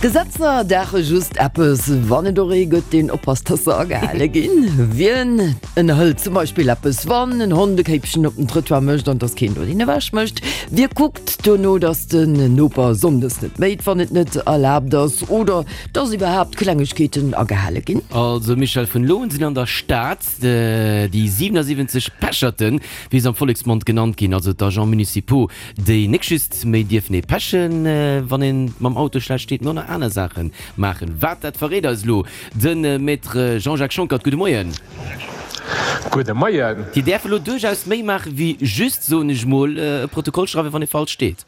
Gesetzer daache just eppes, wann et och ee gëtt, deen oppasst, dass se agehale ginn. Wien ënnerhëlt zum Beispill eppes, wann en Hond e Kéipchen op den Trëttoir mécht an dass keen do deen ewech mécht? Wie kuckt dono, dass den Noper sonndes net méit, wann et net erlaabt ass oder dass iwwerhaapt Klengegkeeten agehale ginn? Also Michèle, vun elo un sinn an der Stad déi 77 Pecherten, wéi se am Volleksmond genannt ginn, also d'Agents municipaux, déi nek just méi dierfen ee pechen, wann een mam Auto schlecht steet, mee och nach aner Saache maachen. Wat, dat verréit eis elo de Maître Jean-Jacques Schonckert. Gudde Moien. Gudde Moien. Déi däerfe lo duerchaus méi maache wéi just, soen ech mol, e Protokoll schreiwen, wann ee falsch steet.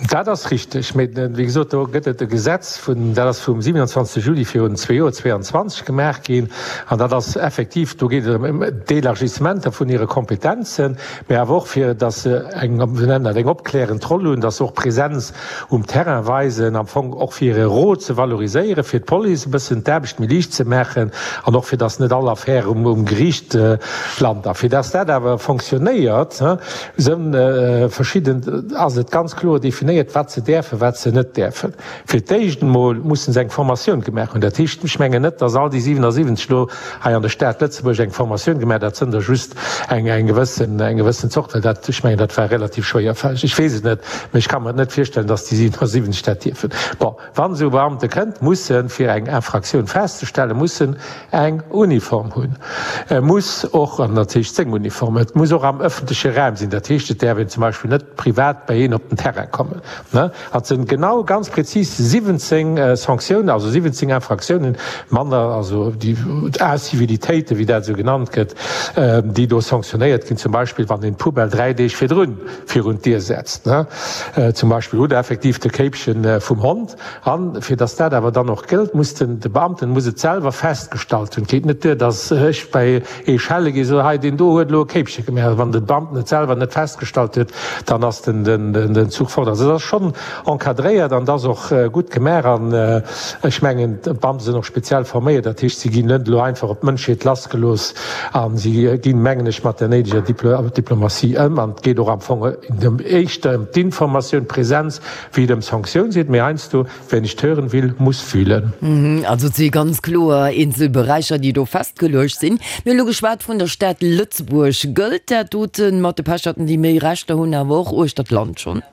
Dat ass richteg, mee wéi gesot, do gëtt et e Gesetz vun, dat ass vum 27 Juli virun zwee Joer, 22, gemaach ginn. An dat ass effektiv, do geet et ëm d'Elargissementer vun hire Kompetenzen, mee awer och fir datt se eng, wéi nennen dat, eng opklärend Roll hunn, datt se och Präsenz um Terrain weisen, am Fong och fir hire Rôle ze valoriséieren, fir d'Police e bëssen d'Aarbecht méi liicht ze maachen an och fir datt net all Affär um Geriicht lant. A fir datt dat awer fonctionnéiert, Sënn verschidden, ass et ganz kloer definéiert, wat se däerfen, wat se net däerfen. Fir d'éischt emol mussen se eng Formatioun gemaach hunn. Dat heescht, ech mengen net, dass all déi 77 elo hei an der Stad Lëtzebuerg eng Formatioun gemaach, dat sënn der just eng eng gewëssen eng gewëssen Zort, well dat, ech mengen, dat war relativ schwéierfälleg. Ech weess et net, mä ech ka mer et net virstellen, dass déi 77 dat dierfen. Bon. Wann esou e Beamte kënnt, muss en, fir eng Infraktioun festzestellen, muss en eng Uniform hunn. E muss och, an dat heescht seng Uniform, et muss och am öffentleche Raum sinn, dat heescht, et däerf een zum Beispill net privat bei een op den Terrain kommen. An et sinn genau, ganz prezis 17 Sanktiounen, also 17 Infraktiounen, manner, also déi Incivilitéiten, wéi dat esou genannt gëtt, déi do sanktionéiert ginn, zum Beispill wann een d'Poubelle dräi Deeg virdrun virun d'Dier setzt, zum Beispill, oder effektiv de Kéipchen vum Hond. An fir dass dat awer dann och gëllt, muss den, de Beamten muss et selwer festgestallt hunn. Et geet net duer, dass ech bei ee schelle gi, soe, hei deen do huet elo e Kéipche gemaach. Wann de Beamten et selwer net festgestallt huet, dann ass den, den Zuch fort. Also et ass schonn encadréiert an et ass och gutt gemaach. An ech mengen, d'Beamte sinn och speziell forméiert, dat heescht, si ginn net elo einfach op d'Mënschheet lassgelooss. A si ginn, mengen ech, mat der néideger Diplomatie ëm. An et geet och am Fong éischter ëm d'Informatioun, d'Präsenz, wéi et ëm Sanktioun seet. Mee heiansdo, wer nicht hören will, muss fühlen. Also et si ganz kloer eenzel Beräicher, déi do festgeluecht sinn. Mir hu lo geschwat vun der Stad Lëtzebuerg. Gëllt dat dote mat de Pecherten, déi méi Rechter hunn, awer och uechter d'Land schonn?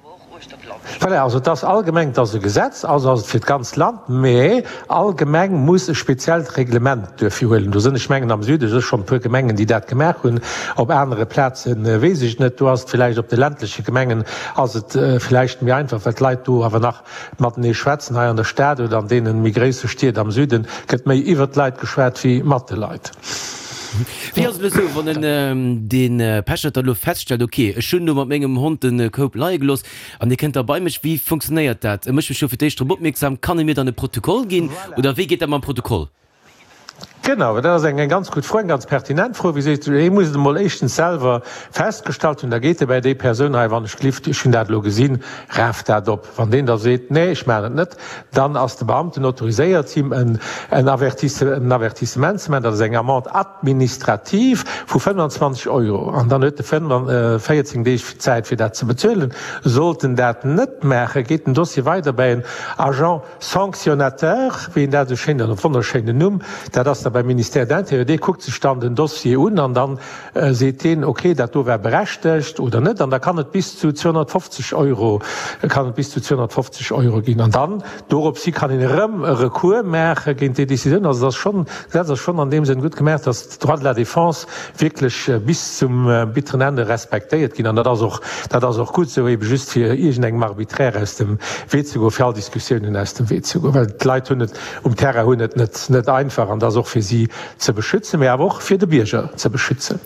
Voilà, also et ass allgemeng, et ass e Gesetz, also ass et fir d'ganzt Land, mä all Gemeng muss e speziellt Reglement duerfir huelen. Do sinn, ech mengen am Süde si schonn e puer Gemengen, déi dat gemaach hunn, op anere Plaze weess ech et net. Do ass et villäicht, op de ländleche Gemengen ass et villäicht méi einfach, well d'Leit do awer nach matenee schwätzen. Hei an der Stad oder an deene méi gréisse Stied am Süde gëtt méi iwwert d'Leit geschwat wéi mat de Leit. Wéi ass et elo sou, wann en dee Pechert da elo feststellt, ok, ech hunn do mat mengem Hond de Koup leie gelooss an dee kënnt da bei mech, wéi funktionéiert dat? E mécht mech jo fir d'éischt drop opmierksam, kann e mir dann e Protokoll ginn oder wéi geet dat mam Protokoll? Genau, dat ass eng ganz gutt Fro, eng ganz pertinent Fro. Wéi sees du, hie muss et emol éischtens selwer festgestallt hunn, da geet e bäi déi Persoun, hei wann ech glift, ech hunn dat elo gesinn, raf dat op. Wann deen da seet, nee, ech maachen et net, dann ass de Beamten autoriséiert, him en Avertissement ze maachen, dat ass eng Amende administrative vu 25 Euro, an dann huet e 14 Deeg Zäit, fir dat ze bezuelen. Sollt en dat net maachen, geet den Dossier weider bäi en Agent sanctionnateur, wéi en dat esou schéin, dat wonnerschéinen Numm, dat ass da beim Ministère de l'Intérieur, dee kuckt sech dann den Dossier un an dann seet deen, ok, dat do war berechtegt oder net, an da kann et bis zu 250 Euro, kann et bis zu 250 Euro ginn. An dann doropshi kann een erëm e Recours maache géint déi Décisioun. Also et ass schonn, d'Gesetz ass schonn an deem Sënn gutt gemaach, dass d'Droits de la défense wierklech bis zum bitteren Ende respektéiert ginn. An dat ass och, dat ass och gutt esou, ebe just fir iergendengem Arbitraire aus dem Wee ze goen, fir all Diskussiounen aus dem Wee ze goen, well d'Leit hunn et um Terrain hunn et net, net einfach an et ass och fir si ze beschützen, mee awer och fir de Bierger ze beschützen.